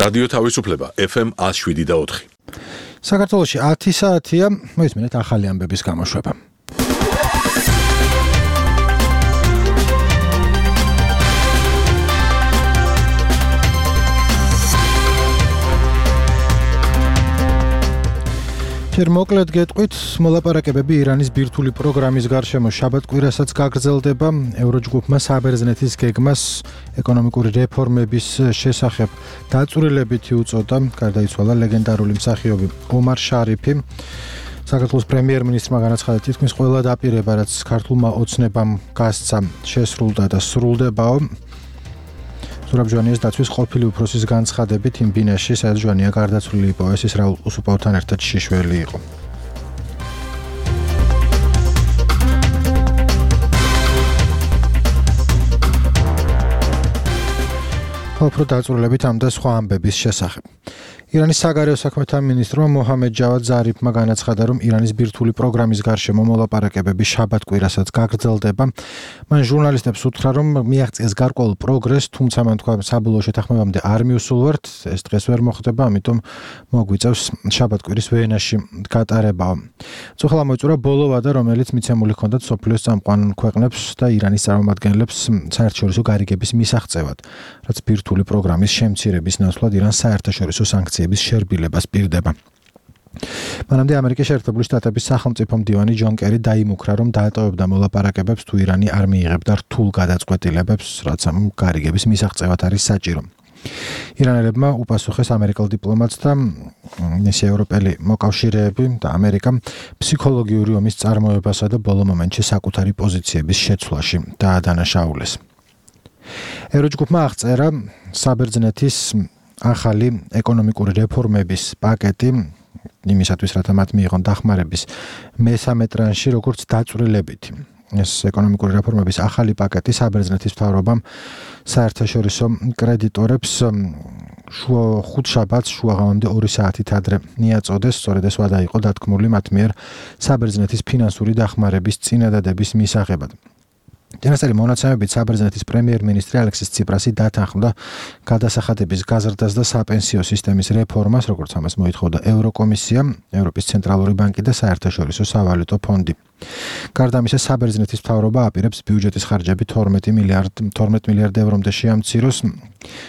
რადიო თავისუფლება FM 107.4. საქართველოში 10 საათია, მოისმინეთ ახალი ამბების გამოშვება. მოკლედ გეტყვით, მოლაპარაკებები ირანის ბირთვული პროგრამის გარშემო შაბათ-კვირასაც გაგრძელდება. ევროჯგუფმა საბერძნეთის გეგმას ეკონომიკური რეფორმების შესახებ დაწვრილებითი უწოდა. გარდაიცვალა ლეგენდარული მსახიობი ომარ შარიფი. საქართველოს პრემიერ-მინისტრმა განაცხადა, თითქმის ყველა დაპირება, რაც ქართულმა ოცნებამ გასცა, შესრულდა და სრულდებაო. ზურაბ ჟვანიას დაცვის ყოფილი უფროსის განცხადებით იმ ბინაში, სადაც ჟვანია გარდაცვლილი იყო, ის რაულ უსუპოვთან ერთად შიშველი იყო. უფრო დაწვრილებით ამ და სხვა ამბების შესახებ. ირანის საგარეო საქმეთა მინისტრმა მოჰამედ ჯავად ზარიფმა განაცხადა, რომ ირანის ბირთვული პროგრამის გარშემო მოლაპარაკებები შაბათ-კვირასაც გაგრძელდება. მან ჟურნალისტებს უთხრა, რომ მიაღწიეს გარკვეულ პროგრესს, თუმცა მან თქვა, საბოლოო შეთანხმებამდე არ მიუსულვართ, ეს დღეს ვერ მოხდება, ამიტომ მოგვიწევს შაბათ-კვირის ვენაში გატარებაო. წუხლა მოიწურა ბოლო ვადა, რომელიც მიცემული ჰქონდათ სოფლიოს წამყვან ქვეყნებს და ირანის წარმომადგენლებს საერთაშორისო გარიგების მისაღწევად, რაც ბირთვული პროგრამის შემცირების ნაცვლად ირანს საერთაშორისო სანქციების შერბილებას პირდება. მანამდე ამერიკის შეერთებული შტატების სახელმწიფო მდივანი ჯონ კერი დაიმუქრა, რომ დაეტოვებდა მოლაპარაკებებს თუ ირანი არ მიიღებდა რთულ გადაწყვეტილებებს, რაც ამ გარიგების მისაღწევად არის საჭირო. ირანელებმა უპასუხეს ამერიკელ დიპლომატს და მისი ევროპელი მოკავშირეები და ამერიკა ფსიქოლოგიური ომის წარმოებასა და ბოლო მომენტში საკუთარი პოზიციების შეცვლაში დაადანაშაულეს. ევროჯგუფმა აღწერა საბერძნეთის ახალი ეკონომიკური რეფორმების პაკეტი იმისათვის, რათა მათ მიიღონ დახმარების მესამე ტრანში, როგორც დაწვრილებითი. ეს ეკონომიკური რეფორმების ახალი პაკეტი საბერძნეთის მთავრობამ საერთაშორისო კრედიტორებს ხუთშაბათს შუაღამამდე 2 საათით ადრე მიაწოდეს. სწორედ ეს ვადა იყო დათქმული მათ მიერ საბერძნეთის ფინანსური დახმარების წინადადების მისაღებად. წინასწარი მონაცემებით საბერძნეთის პრემიერ-მინისტრი ალექსის ციპრასი დათანხმდა გადასახადების გაზრდას და საპენსიო სისტემის რეფორმას, როგორც ამას მოითხოვდა ევროკომისია, ევროპის ცენტრალური ბანკი და საერთაშორისო სავალუტო ფონდი. გარდა ამისა, საბერძნეთის მთავრობა აპირებს ბიუჯეტის ხარჯები 12 მილიარდ ევრომდე შეამციროს.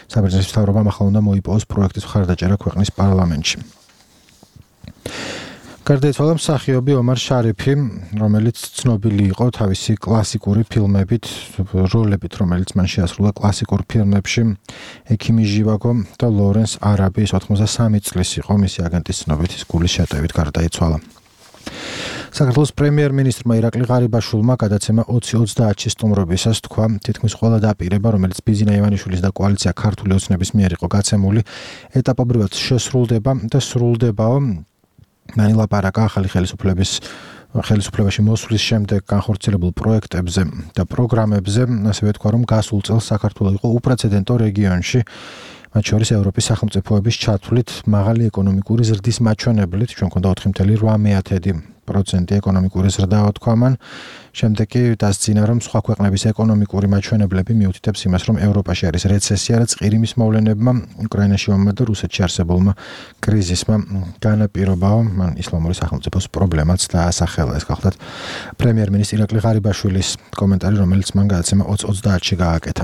საბერძნეთის მთავრობამ ახლა უნდა მოიპოვოს პროექტის მხარდაჭერა ქვეყნის პარლამენტში. გარდაიცვალა მსახიობი ომარ შარიფი, რომელიც ცნობილი იყო თავისი კლასიკური ფილმებით, როლებით, რომელიც მან შეასრულა კლასიკურ ფილმებში ექიმი ჟივაგო და ლორენს არაბი. ის 83 წლის იყო, მისი აგენტის ცნობით ის გულის შეტევით გარდაიცვალა. საქართველოს პრემიერ-მინისტრმა ირაკლი ღარიბაშვილმა გადაცემა 20-30-ში სტუმრობისას თქვა, თითქმის ყველა დაპირება, რომელიც ბიზინა ივანიშვილის და კოალიცია ქართული ოცნების მიერ იყო გაცემული, ეტაპობრივად შესრულდება და სრულდებაო. მან ილაპარაკა ახალი ხელისუფლებაში მოსვლის შემდეგ განხორციელებულ პროექტებზე და პროგრამებზე, ასევე თქვა, რომ გასულ წელს საქართველო იყო უპრეცედენტო რეგიონში, მათ შორის ევროპის სახელმწიფოების ჩათვლით მაღალი ეკონომიკური ზრდის მაჩვენებლით, ჩვენ გვქონდა 4,8% ეკონომიკური ზრდა, თქვა მან. შემდეგ კი დასძინა, რომ სხვა ქვეყნების ეკონომიკური მაჩვენებლები მიუთითებს იმას, რომ ევროპაში არის რეცესია, რაც ყირიმის მოვლენებმა, უკრაინაში ომმა და რუსეთში არსებულმა კრიზისმა განაპირობაო. მან ისლამური სახელმწიფოს პრობლემაც დაასახელა. ეს გახლდათ პრემიერ-მინისტრი ირაკლი ღარიბაშვილის კომენტარი, რომელიც მან გადაცემა 20-30-ში გააკეთა.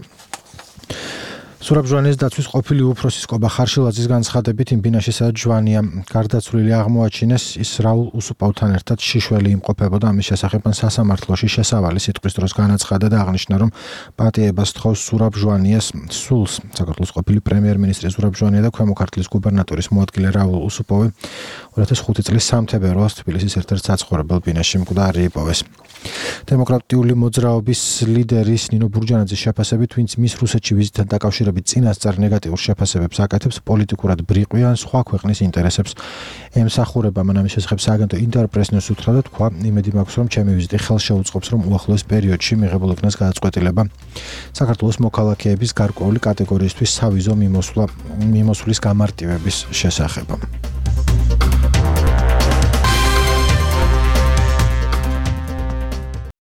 ზურაბ ჟვანიას დაცვის ყოფილი უფროსის კობა ხარშილაძის განცხადებით, იმ ბინაში, სადაც ჟვანია გარდაცვლილი აღმოაჩინეს, ის რაულ უსუპოვთან ერთად შიშველი იმყოფებოდა. ამის შესახებ მან სასამართლოში შესავალი სიტყვის დროს განაცხადა და აღნიშნა, რომ პატიებას თხოვს ზურაბ ჟვანიას სულს. საქართველოს ყოფილი პრემიერ-მინისტრი ზურაბ ჟვანია და ქვემო ქართლის გუბერნატორის მოადგილე რაულ უსუპოვი 2005 წლის სამთებერვალს თბილისის ერთ-ერთ საცხოვრებელ ბინაში მკვდარი იპოვეს. დემოკრატიული მოძრაობის ლიდერის ნინო ბურჯანაძის შეფასებით, ვინც მის რუსეთში ვიზიტთან დაკავშირებით წინასწარ ნეგატიურ შეფასებებს აკეთებს, პოლიტიკურად ბრიყვიან სხვა ქვეყნის ინტერესებს ემსახურება. მან ამის შესახებ სააგენტო ინტერპრეს-ნიუს უთხრა და თქვა, იმედი მაქვს, რომ ჩემი ვიზიტი ხელს შეუწყობს, რომ უახლოეს პერიოდში მიღებულ იქნას გადაწყვეტილება საქართველოს მოქალაქეების გარკვეული კატეგორიისთვის სავიზო მიმოსვლის გამარტივების შესახებ.